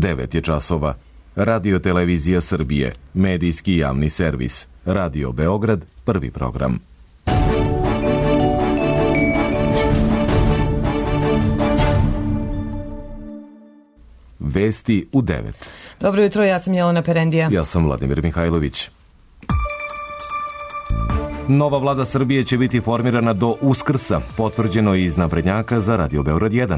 9 je časova. Radio Televizija Srbije, medijski javni servis. Radio Beograd, prvi program. Vesti u 9. Dobro jutro, ja sam Jelena Perendija. Ja sam Vladimir Mihajlović. Nova vlada Srbije će biti formirana do Uskrsa, potvrđeno iz naprednjaka za Radio Beograd 1.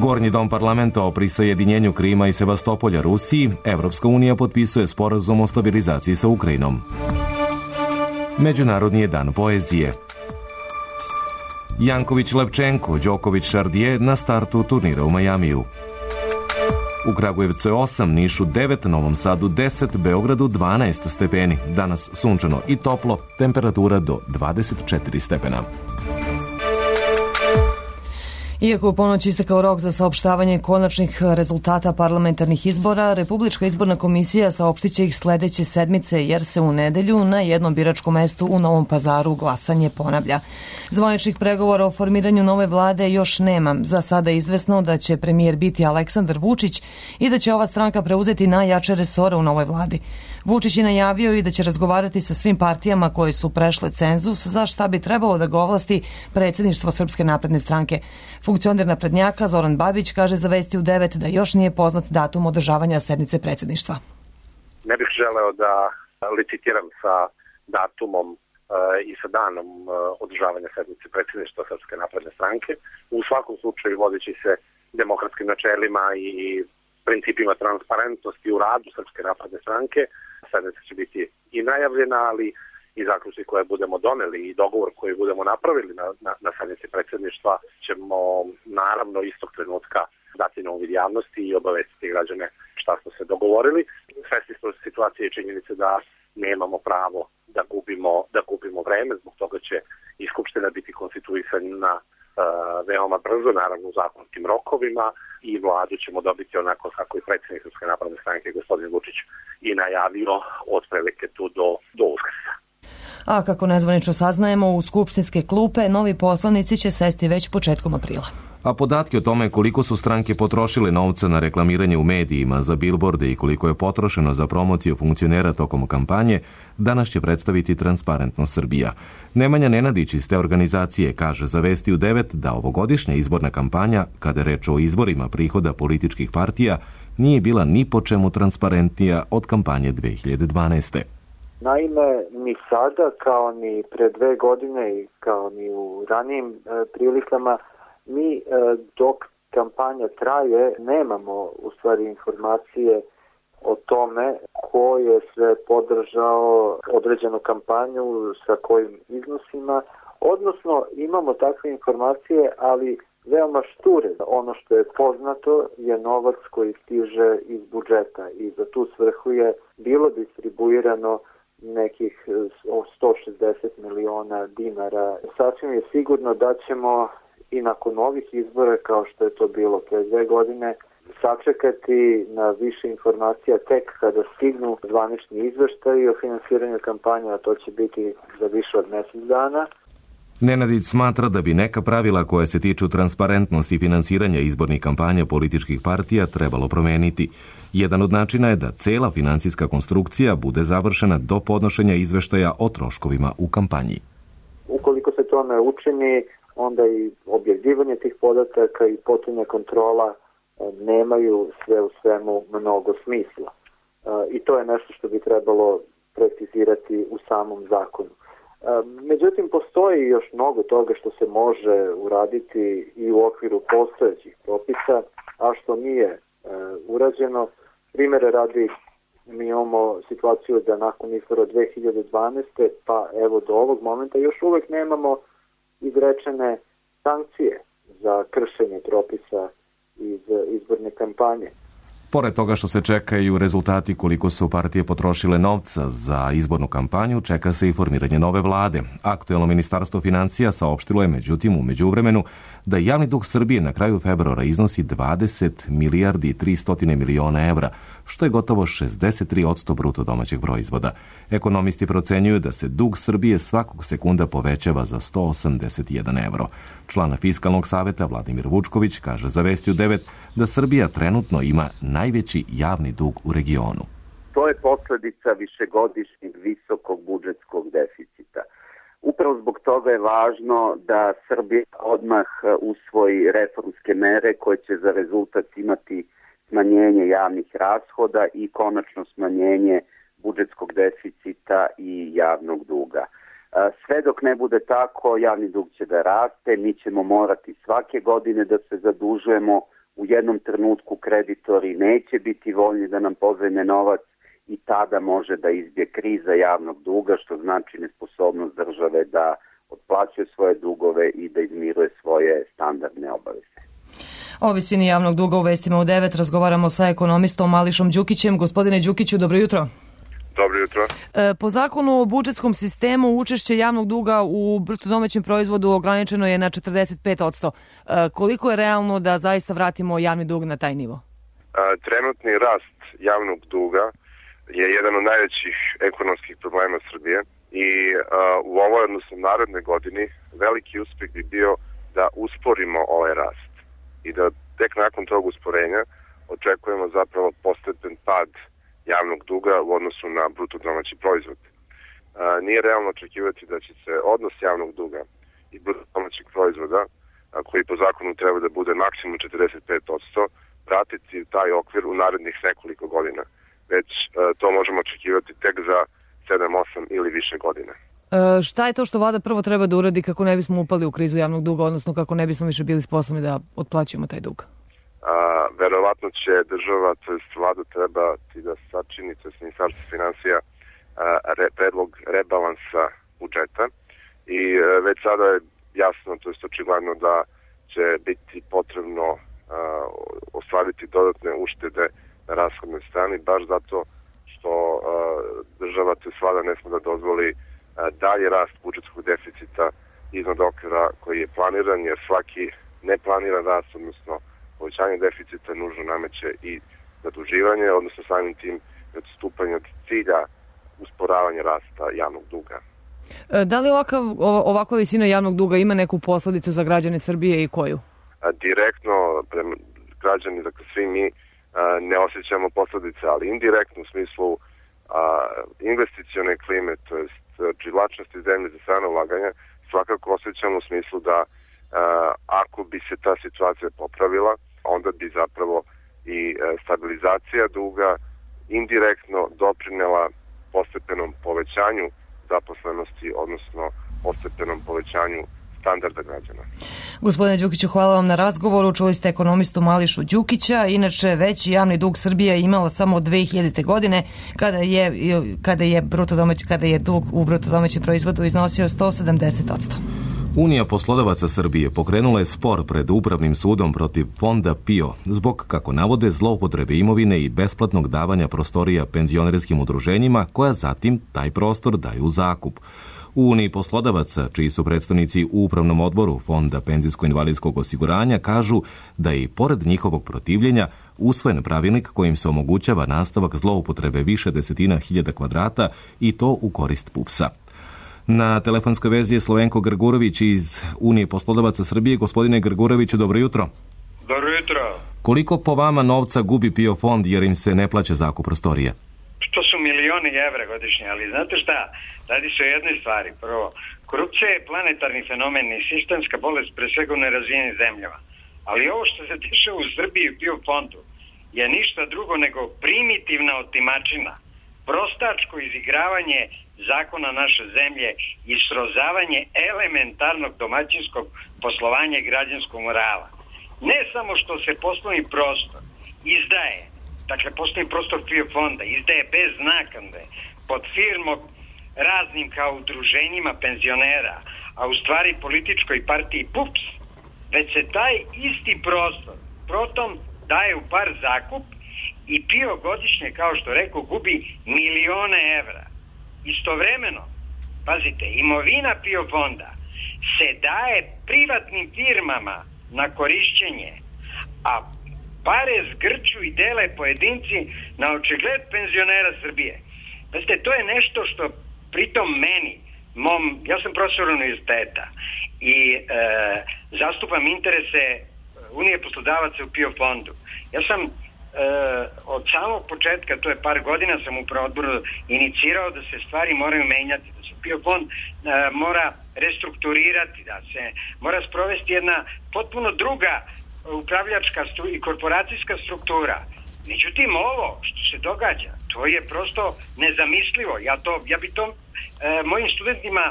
Gornji dom parlamenta o prisajedinjenju Krima i Sevastopolja Rusiji, Evropska unija potpisuje sporazum o stabilizaciji sa Ukrajinom. Međunarodni je dan poezije. Janković-Levčenko, Đoković-Šardije na startu turnira u Majamiju. U Kragujevcu je 8, Nišu 9, Novom Sadu 10, Beogradu 12 stepeni. Danas sunčano i toplo, temperatura do 24 stepena. Iako u ponoć istekao rok za saopštavanje konačnih rezultata parlamentarnih izbora, Republička izborna komisija saopštit će ih sledeće sedmice, jer se u nedelju na jednom biračkom mestu u Novom Pazaru glasanje ponavlja. Zvaničnih pregovora o formiranju nove vlade još nema. Za sada je izvesno da će premijer biti Aleksandar Vučić i da će ova stranka preuzeti najjače resore u novoj vladi. Vučić je najavio i da će razgovarati sa svim partijama koje su prešle cenzus za šta bi trebalo da ga ovlasti predsjedništvo Srpske napredne stranke. Funkcioner naprednjaka Zoran Babić kaže za Vesti u 9 da još nije poznat datum održavanja sednice predsjedništva. Ne bih želeo da licitiram sa datumom i sa danom održavanja sednice predsjedništva Srpske napredne stranke. U svakom slučaju, vodeći se demokratskim načelima i principima transparentnosti u radu Srpske napredne stranke, sednica će biti i najavljena, ali i zaključci koje budemo doneli i dogovor koji budemo napravili na sednici predsjedništva ćemo naravno istog trenutka dati na uvid javnosti i obavestiti građane šta smo se dogovorili. Svesni smo situacije i činjenice da nemamo pravo da gubimo vreme, zbog toga će i Skupština biti konstituisana veoma brzo, naravno u zakonskim rokovima, i vladu ćemo dobiti onako kako i predsjednik Srpske napredne stranke gospodin Vučić i najavio otprilike tu do Uskrsa. A kako nezvanično saznajemo, u skupštinske klupe novi poslanici će sesti već početkom aprila. A podatke o tome koliko su stranke potrošile novca na reklamiranje u medijima, za bilborde i koliko je potrošeno za promociju funkcionera tokom kampanje, danas će predstaviti Transparentnost Srbija. Nemanja Nenadić iz te organizacije kaže za Vesti u 9 da ovogodišnja izborna kampanja, kada je reč o izvorima prihoda političkih partija, nije bila ni po čemu transparentnija od kampanje 2012. Naime, ni sada, kao ni pre 2 godine i kao ni u ranijim prilikama, mi dok kampanja traje nemamo u stvari informacije o tome ko je sve podržao određenu kampanju, sa kojim iznosima, odnosno imamo takve informacije, ali veoma šture. Ono što je poznato je novac koji stiže iz budžeta i za tu svrhu je bilo distribuirano nekih 160 miliona dinara. Sasvim je sigurno da ćemo i nakon ovih izbora, kao što je to bilo pre 2 godine, sačekati na više informacija tek kada stignu zvanični izveštaji o finansiranju kampanja, a to će biti za više od mjesec dana. Nenadić smatra da bi neka pravila koja se tiču transparentnosti finansiranja izbornih kampanja političkih partija trebalo promeniti. Jedan od načina je da cela finansijska konstrukcija bude završena do podnošenja izveštaja o troškovima u kampanji. Ukoliko se to ne učini, onda i objavljivanje tih podataka i potpunja kontrola nemaju sve u svemu mnogo smisla. I to je nešto što bi trebalo precizirati u samom zakonu. Međutim, postoji još mnogo toga što se može uraditi i u okviru postojećih propisa, a što nije urađeno. Primere radi, mi imamo situaciju da nakon izbora 2012. pa evo do ovog momenta još uvek nemamo izrečene sankcije za kršenje propisa iz izborne kampanje. Pored toga što se čekaju rezultati koliko su partije potrošile novca za izbornu kampanju, čeka se i formiranje nove vlade. Aktuelno ministarstvo financija saopštilo je međutim u međuvremenu da javni dug Srbije na kraju februara iznosi 20 milijardi i 300 miliona evra, što je gotovo 63% bruto domaćeg proizvoda. Ekonomisti procenjuju da se dug Srbije svakog sekunda povećava za 181 evro. Član Fiskalnog saveta Vladimir Vučković kaže za Vesti u 9 da Srbija trenutno ima najveći javni dug u regionu. To je posledica višegodišnjeg visokog budžetskog deficita. Upravo zbog toga je važno da Srbija odmah usvoji reformske mere koje će za rezultat imati smanjenje javnih rashoda i konačno smanjenje budžetskog deficita i javnog duga. Sve dok ne bude tako, javni dug će da raste, mi ćemo morati svake godine da se zadužujemo, u jednom trenutku kreditori neće biti voljni da nam pozajme novac i tada može da izbije kriza javnog duga, što znači nesposobnost države da otplaćuje svoje dugove i da izmiruje svoje standardne obaveze. O visini javnog duga u Vestima u 9 razgovaramo sa ekonomistom Mališom Đukićem. Gospodine Đukiću, dobro jutro. Dobro jutro. Po zakonu o budžetskom sistemu učešće javnog duga u bruto domaćem proizvodu ograničeno je na 45%. Koliko je realno da zaista vratimo javni dug na taj nivo? Trenutni rast javnog duga je jedan od najvećih ekonomskih problema Srbije i u ovoj, odnosno narednoj godini, veliki uspeh bi bio da usporimo ovaj rast i da tek nakon tog usporenja očekujemo zapravo postepen pad javnog duga u odnosu na bruto domaći proizvod. Nije realno očekivati da će se odnos javnog duga i bruto domaćeg proizvoda, koji po zakonu treba da bude maksimum 45%, vratiti taj okvir u narednih nekoliko godina. Već to možemo očekivati tek za 7, 8 ili više godina. Šta je to što vlada prvo treba da uradi kako ne bismo upali u krizu javnog duga, odnosno kako ne bismo više bili sposobni da otplaćujemo taj dug? Verovatno će država, to jest vlada trebati da sačini, to jest Ministarstvo finansija, predlog rebalansa budžeta i već sada je jasno, to jest očigledno da će biti potrebno ostvariti dodatne uštede na rashodnoj strani, baš zato što država, to jest vlada, ne sme da dozvoli dalje rast budžetskog deficita iznad okvira koji je planiran, jer svaki neplaniran rast, odnosno povećanje deficita, nužno nameće i zaduživanje, odnosno samim tim odstupanje od cilja usporavanja rasta javnog duga. Da li ovakva visina javnog duga ima neku posledicu za građane Srbije i koju? Direktno, građani, dakle svi mi ne osjećamo posledice, ali indirektno u smislu investicione klime, to jest privlačnosti zemlje za strano ulaganja, svakako osjećamo u smislu da ako bi se ta situacija popravila, onda bi zapravo i stabilizacija duga indirektno doprinela postepenom povećanju zaposlenosti, odnosno postepenom povećanju standarda građana. Gospodine Đukiću, hvala vam na razgovoru. Čuli ste ekonomistu Mališu Đukića. Inače, veći javni dug Srbija imala samo 2000. godine kada je dug u bruto domaćem proizvodu iznosio 170%. Unija poslodavaca Srbije pokrenula je spor pred Upravnim sudom protiv Fonda PIO zbog, kako navode, zloupotrebe imovine i besplatnog davanja prostorija penzionerskim udruženjima koja zatim taj prostor daju u zakup. U Uniji poslodavaca, čiji su predstavnici u Upravnom odboru Fonda penzijsko-invalidskog osiguranja, kažu da je i pored njihovog protivljenja usvojen pravilnik kojim se omogućava nastavak zloupotrebe više desetina hiljada kvadrata i to u korist PUPS-a. Na telefonskoj vezi je Slovenko Grgurović iz Unije poslodavaca Srbije. Gospodine Grguroviću, dobro jutro. Dobro jutro. Koliko po vama novca gubi PIO fond jer im se ne plaća zakup prostorije? To su milioni evra godišnje, ali znate šta? Radi se o jednoj stvari. Prvo, korupcija je planetarni fenomen i sistemska bolest pre svega u nerazvijenim zemljama. Ali ovo što se dešava u Srbiji i PIO fondu je ništa drugo nego primitivna otimačina, prostačko izigravanje zakona naše zemlje i srozavanje elementarnog domaćinskog poslovanja i građanskog morala. Ne samo što se poslovni prostor izdaje, dakle poslovni prostor PIO fonda izdaje bez naknade pod firmom raznim kao udruženjima penzionera, a u stvari političkoj partiji PUPS, već se taj isti prostor potom daje u par zakup i PIO godišnje, kao što rekao, gubi milione evra. Istovremeno, pazite, imovina PIO fonda se daje privatnim firmama na korišćenje, a pare zgrču i dele pojedinci na očigled penzionera Srbije. Pazite, to je nešto što pritom meni, ja sam profesor univerziteta i zastupam interese Unije poslodavaca u PIO fondu. Ja sam od samog početka, to je par godina, sam upravo odboru inicirao da se stvari moraju menjati, da se PIO fond mora restrukturirati, da se mora sprovesti jedna potpuno druga upravljačka i korporacijska struktura. Međutim, ovo što se događa, to je prosto nezamislivo. Ja bi to mojim studentima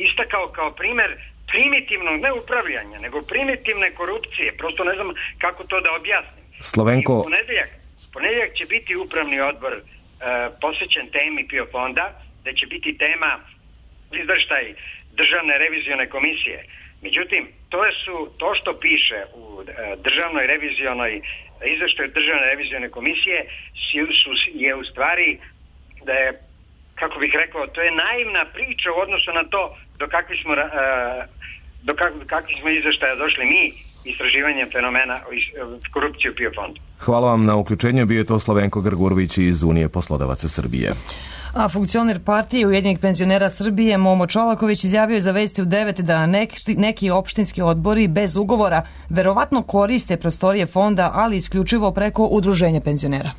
istakao kao primer primitivnog ne upravljanja, nego primitivne korupcije. Prosto ne znam kako to da objasnim. Slovenko... Ponedeljak će biti upravni odbor posvećen temi PIO fonda, da će biti tema izveštaj Državne revizione komisije. Međutim, to što piše u Državnoj revizionoj izveštaju Državne revizione komisije je u stvari da je, kako bih rekao, to je naivna priča u odnosu na to do kakvih smo izveštaja došli mi istraživanjem fenomena korupcije u PIO fondu. Hvala vam na uključenju. Bio je to Slovenko Grgurović iz Unije poslodavaca Srbije. A funkcioner partije Ujedinjenih penzionera Srbije Momo Čolaković izjavio je za Vesti u 9 da neki opštinski odbori bez ugovora verovatno koriste prostorije fonda, ali isključivo preko udruženja penzionera.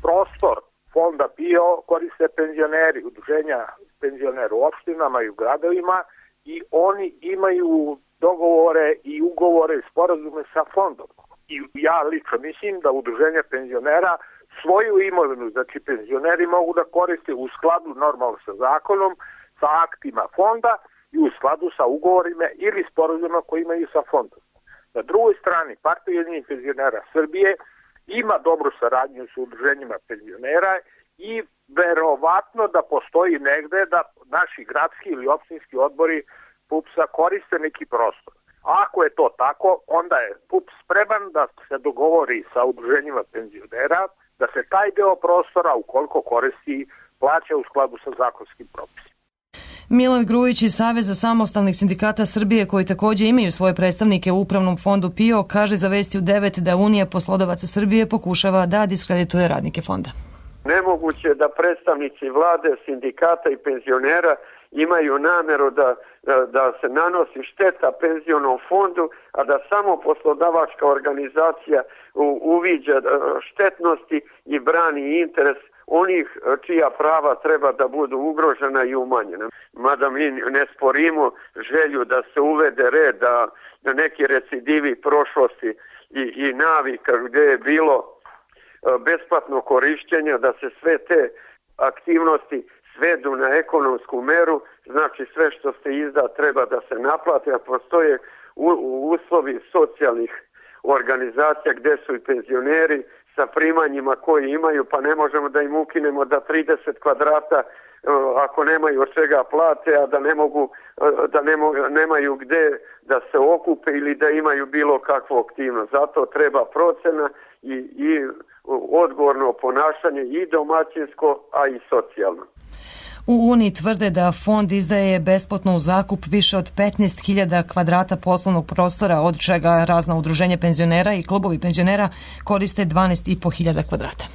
Prostor fonda PIO koriste penzioneri, udruženja penzionera u opštinama i u gradovima i oni imaju dogovore i ugovore i sporazume sa fondom. I ja lično mislim da udruženja penzionera svoju imovinu, znači penzioneri mogu da koriste u skladu normalno sa zakonom, sa aktima fonda i u skladu sa ugovorima ili sporazumima koji imaju sa fondom. Na drugoj strani, Partija Ujedinjenih penzionera Srbije ima dobru saradnju sa udruženjima penzionera i verovatno da postoji negde da naši gradski ili opštinski odbori PUPS-a koriste neki prostor. Ako je to tako, onda je PUPS spreman da se dogovori sa udruženjima penzionera da se taj deo prostora, ukoliko koristi, plaća u skladu sa zakonskim propisima. Milan Grujić iz Saveza samostalnih sindikata Srbije, koji takođe imaju svoje predstavnike u Upravnom fondu PIO, kaže za Vesti u 9 da Unija poslodavaca Srbije pokušava da diskredituje radnike fonda. Nemoguće da predstavnici vlade, sindikata i penzionera imaju nameru da se nanosi šteta penzionom fondu, a da samo poslodavačka organizacija uviđa štetnosti i brani interes onih čija prava treba da budu ugrožena i umanjena. Mada mi ne sporimo želju da se uvede red, da neki recidivi prošlosti i navika gde je bilo besplatno korišćenje, da se sve te aktivnosti svedu na ekonomsku meru, znači sve što se izda treba da se naplate, a postoje uslovi socijalnih organizacija gde su i penzioneri sa primanjima koji imaju, pa ne možemo da im ukinemo da 30 kvadrata ako nemaju od čega plate, a da nemaju gde da se okupe ili da imaju bilo kakvu aktivnost. Zato treba procena i odgovorno ponašanje i domaćinsko, a i socijalno. U Uniji tvrde da fond izdaje besplatno u zakup više od 15.000 kvadrata poslovnog prostora, od čega razna udruženja penzionera i klubovi penzionera koriste 12.500 kvadrata.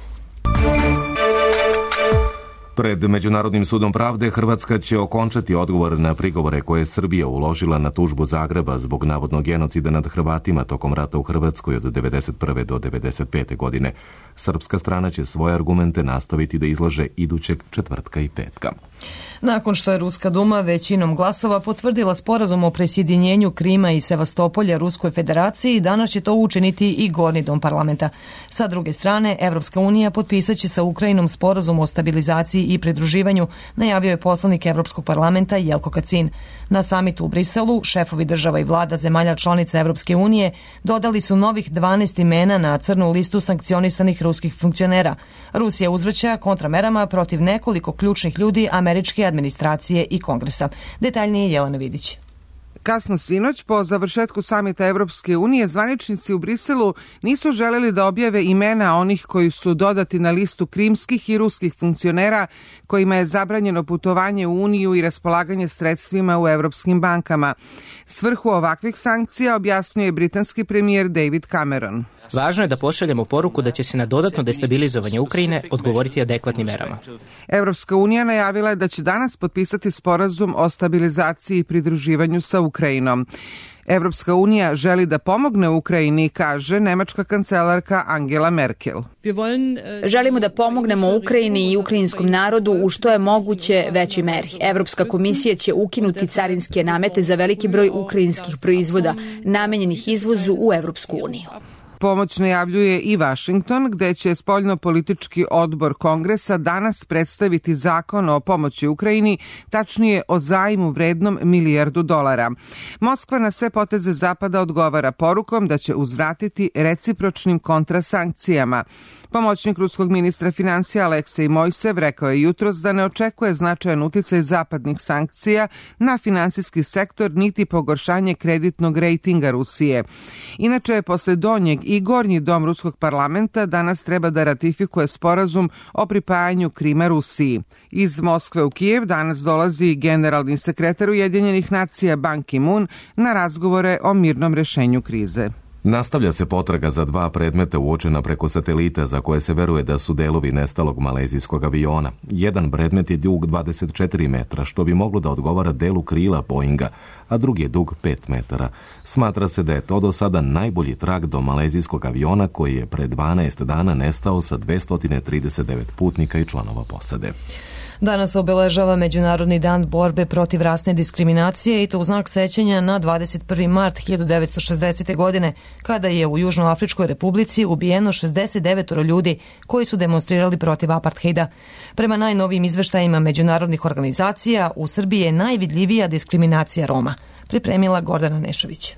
Pred Međunarodnim sudom pravde Hrvatska će okončati odgovor na prigovore koje je Srbija uložila na tužbu Zagreba zbog navodnog genocida nad Hrvatima tokom rata u Hrvatskoj od 1991. do 1995. godine. Srpska strana će svoje argumente nastaviti da izlaže idućeg četvrtka i petka. Nakon što je Ruska duma većinom glasova potvrdila sporazum o presjedinjenju Krima i Sevastopolja Ruskoj federaciji, danas će to učiniti i Gornji dom parlamenta. Sa druge strane, Evropska unija potpisaće sa Ukrajinom sporazum o stabilizaciji i pridruživanju, najavio je poslanik Evropskog parlamenta Jelko Kacin. Na samitu u Briselu, šefovi država i vlada zemalja članica Evropske unije dodali su novih 12 imena na crnu listu sankcionisanih ruskih funkcionera. Rusija uzvraća kontramerama protiv nekoliko ključnih ljudi američke administracije i kongresa. Detaljnije Jelena Vidić. Kasno sinoć, po završetku samita Evropske unije, zvaničnici u Briselu nisu želeli da objave imena onih koji su dodati na listu krimskih i ruskih funkcionera kojima je zabranjeno putovanje u Uniju i raspolaganje sredstvima u evropskim bankama. Svrhu ovakvih sankcija objasnio je britanski premijer David Cameron. Važno je da pošaljemo poruku da će se na dodatno destabilizovanje Ukrajine odgovoriti adekvatnim merama. Evropska unija najavila je da će danas potpisati sporazum o stabilizaciji i pridruživanju sa Ukrajinom. Evropska unija želi da pomogne Ukrajini, kaže nemačka kancelarka Angela Merkel. Želimo da pomognemo Ukrajini i ukrajinskom narodu u što je moguće većoj meri. Evropska komisija će ukinuti carinske namete za veliki broj ukrajinskih proizvoda namenjenih izvozu u Evropsku uniju. Pomoć najavljuje i Washington, gde će spoljnopolitički odbor Kongresa danas predstaviti zakon o pomoći Ukrajini, tačnije o zajmu vrednom $1 milijardu. Moskva na sve poteze Zapada odgovara porukom da će uzvratiti recipročnim kontrasankcijama. Pomoćnik ruskog ministra finansija Aleksej Mojsev rekao je jutros da ne očekuje značajan uticaj zapadnih sankcija na finansijski sektor niti pogoršanje kreditnog rejtinga Rusije. Inače, posle donjeg i gornji dom ruskog parlamenta danas treba da ratifikuje sporazum o pripajanju Krima Rusiji. Iz Moskve u Kijev danas dolazi generalni sekretar Ujedinjenih nacija Ban Ki-moon na razgovore o mirnom rešenju krize. Nastavlja se potraga za 2 predmeta uočena preko satelita za koje se veruje da su delovi nestalog malezijskog aviona. Jedan predmet je dug 24 metra, što bi moglo da odgovara delu krila Boeinga, a drugi je dug 5 metara. Smatra se da je to do sada najbolji trag do malezijskog aviona koji je pre 12 dana nestao sa 239 putnika i članova posade. Danas obeležava Međunarodni dan borbe protiv rasne diskriminacije i to u znak sećanja na 21. mart 1960. godine, kada je u Južnoafričkoj republici ubijeno 69 ljudi koji su demonstrirali protiv apartheida. Prema najnovijim izveštajima međunarodnih organizacija, u Srbiji je najvidljivija diskriminacija Roma. Pripremila Gordana Nešović.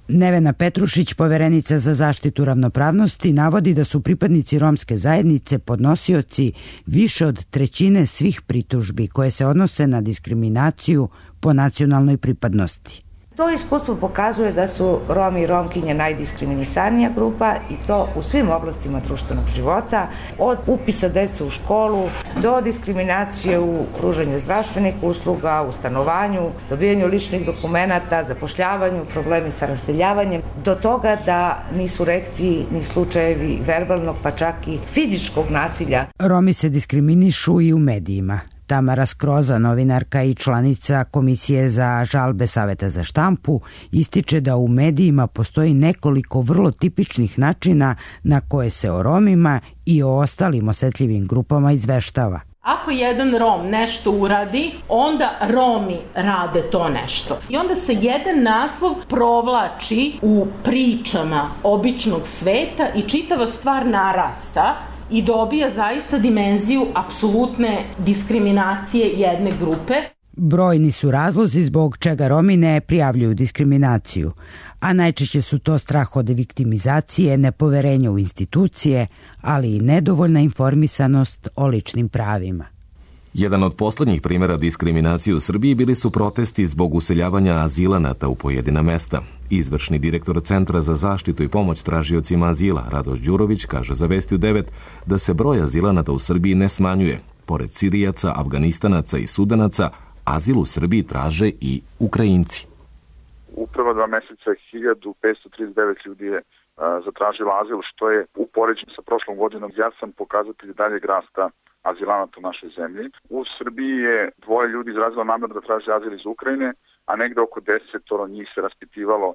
Nevena Petrušić, poverenica za zaštitu ravnopravnosti, navodi da su pripadnici romske zajednice podnosioci više od trećine svih pritužbi koje se odnose na diskriminaciju po nacionalnoj pripadnosti. To iskustvo pokazuje da su Romi i Romkinje najdiskriminisanija grupa i to u svim oblastima društvenog života, od upisa dece u školu do diskriminacije u pružanju zdravstvenih usluga, u stanovanju, dobijanju ličnih dokumenata, zapošljavanju, problemi sa raseljavanjem, do toga da nisu retki ni slučajevi verbalnog pa čak i fizičkog nasilja. Romi se diskriminišu i u medijima. Tamara Skroza, novinarka i članica Komisije za žalbe Saveta za štampu, ističe da u medijima postoji nekoliko vrlo tipičnih načina na koje se o Romima i o ostalim osetljivim grupama izveštava. Ako jedan Rom nešto uradi, onda Romi rade to nešto. I onda se jedan naslov provlači u pričama običnog sveta i čitava stvar narasta i dobija zaista dimenziju apsolutne diskriminacije jedne grupe. Brojni su razlozi zbog čega Romi ne prijavljuju diskriminaciju, a najčešće su to strah od viktimizacije, nepoverenje u institucije, ali i nedovoljna informisanost o ličnim pravima. Jedan od poslednjih primjera diskriminacije u Srbiji bili su protesti zbog useljavanja azilanata u pojedina mesta. Izvršni direktor Centra za zaštitu i pomoć tražiocima azila, Radoš Đurović, kaže za Vesti u 9 da se broj azilanata u Srbiji ne smanjuje. Pored Sirijaca, Afganistanaca i Sudanaca, azil u Srbiji traže i Ukrajinci. U prva 2 meseca 1539 ljudi je zatražilo azil, što je u poređenju sa prošlom godinom jasan pokazatelj daljeg rasta azilanata u našoj zemlji. U Srbiji je 2 ljudi izrazilo nameru da traže azil iz Ukrajine, a negde oko 10 njih se raspitivalo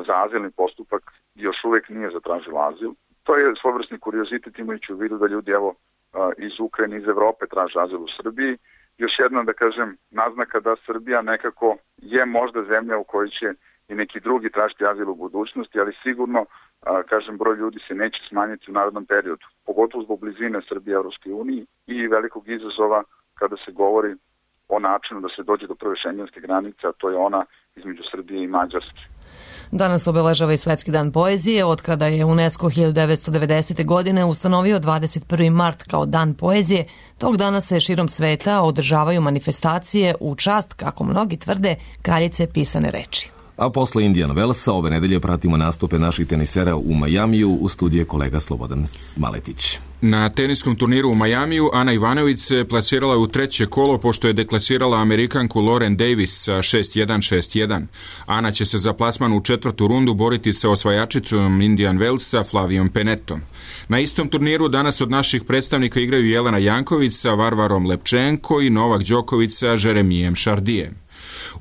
za azilni postupak i još uvek nije zatražilo azil. To je svojevrsni kuriozitet imajući u vidu da ljudi iz Ukrajine, iz Evrope traže azil u Srbiji. Još jedna, da kažem, naznaka da Srbija nekako je možda zemlja u kojoj će i neki drugi tražiti azil u budućnosti, ali sigurno, kažem, broj ljudi se neće smanjiti u narednom periodu, pogotovo zbog blizine Srbije Evropskoj uniji i velikog izazova kada se govori o načinu da se dođe do prve šengenske granice, a to je ona između Srbije i Mađarske. Danas obeležava i Svetski dan poezije, od kada je UNESCO 1990. godine ustanovio 21. mart kao dan poezije. Tog dana se širom sveta održavaju manifestacije u čast, kako mnogi tvrde, kraljice pisane reči. A posle Indian Wellsa ove nedelje pratimo nastupe naših tenisera u Majamiju, u studiju kolega Slobodan Maletić. Na teniskom turniru u Majamiju Ana Ivanović se plasirala u treće kolo pošto je deklasirala Amerikanku Lauren Davis sa 6-1, 6-1. Ana će se za plasman u četvrtu rundu boriti sa osvajačicom Indian Wellsa Flavijom Penettom. Na istom turniru danas od naših predstavnika igraju Jelena Janković sa Varvarom Lepčenko i Novak Đoković sa Jeremijem Šardijem.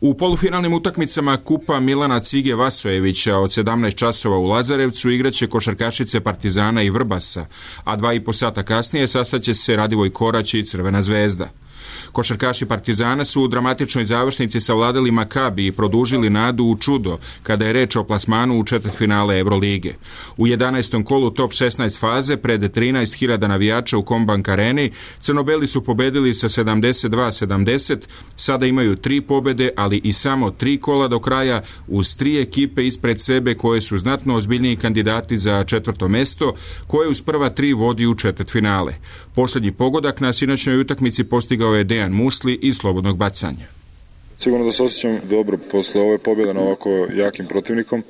U polufinalnim utakmicama Kupa Milana Cige Vasojevića od 17 časova u Lazarevcu igraće košarkašice Partizana i Vrbasa, a 2,5 sata kasnije sastaće se Radivoj Korać i Crvena zvezda. Košarkaši Partizana su u dramatičnoj završnici savladali Makabi i produžili nadu u čudo kada je reč o plasmanu u četvrtfinale Evrolige. U 11. kolu top 16 faze pred 13.000 navijača u Kombank areni Crnobeli su pobedili sa 72-70, sada imaju 3 pobede, ali i samo 3 kola do kraja uz 3 ekipe ispred sebe koje su znatno ozbiljniji kandidati za četvrto mesto, koje uz prva 3 vodi u četvrtfinale. Posljednji pogodak na sinoćnoj utakmici postigao je Dejan Musli iz slobodnog bacanja. Sigurno da se osjećam dobro posle ove pobjede na ovako jakim protivnikom.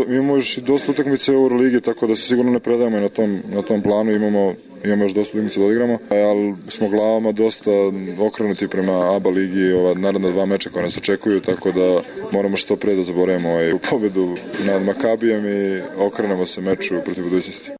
Imamo još dosta utakmice Euroligi, tako da se sigurno ne predajemo na tom planu. Imamo još dosta utakmice da odigramo, ali smo glavama dosta okrenuti prema ABA ligi, naredna 2 meča koja nas očekuju, tako da moramo što pre da zaboravimo pobedu nad Makabijem i okrenemo se meču protiv budućnosti.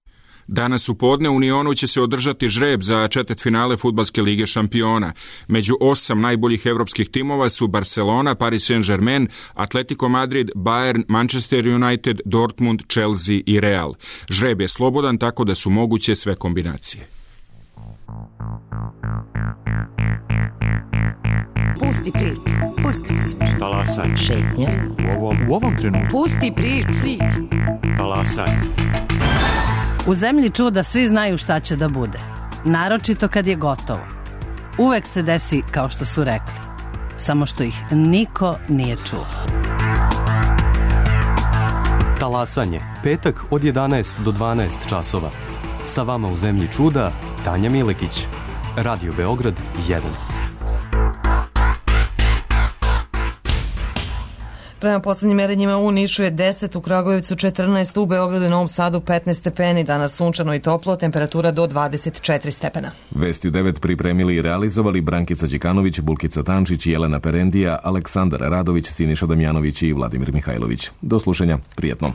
Danas u podne u Unionu će se održati žreb za četvrtfinale Fudbalske lige šampiona. Među 8 najboljih evropskih timova su Barcelona, Paris Saint-Germain, Atletico Madrid, Bayern, Manchester United, Dortmund, Chelsea i Real. Žreb je slobodan, tako da su moguće sve kombinacije. Pusti priču. Talasaj. Šetnja. U ovom trenutku. Pusti priču. Talasaj. U zemlji čuda svi znaju šta će da bude. Naročito kad je gotovo. Uvek se desi kao što su rekli. Samo što ih niko nije čuo. Talasanje. Petak od 11 do 12 časova. Sa vama u zemlji čuda Tanja Milekić. Radio Beograd 1. Prema poslednjim merenjima u Nišu je 10, u Kragujevcu 14, u Beogradu i Novom Sadu 15 stepeni, danas sunčano i toplo, temperatura do 24 stepena. Vesti u 9 pripremili i realizovali Brankica Đikanović, Bulkica Tančić, Jelena Perendija, Aleksandar Radović, Siniša Damjanović i Vladimir Mihajlović. Do slušanja, prijetno.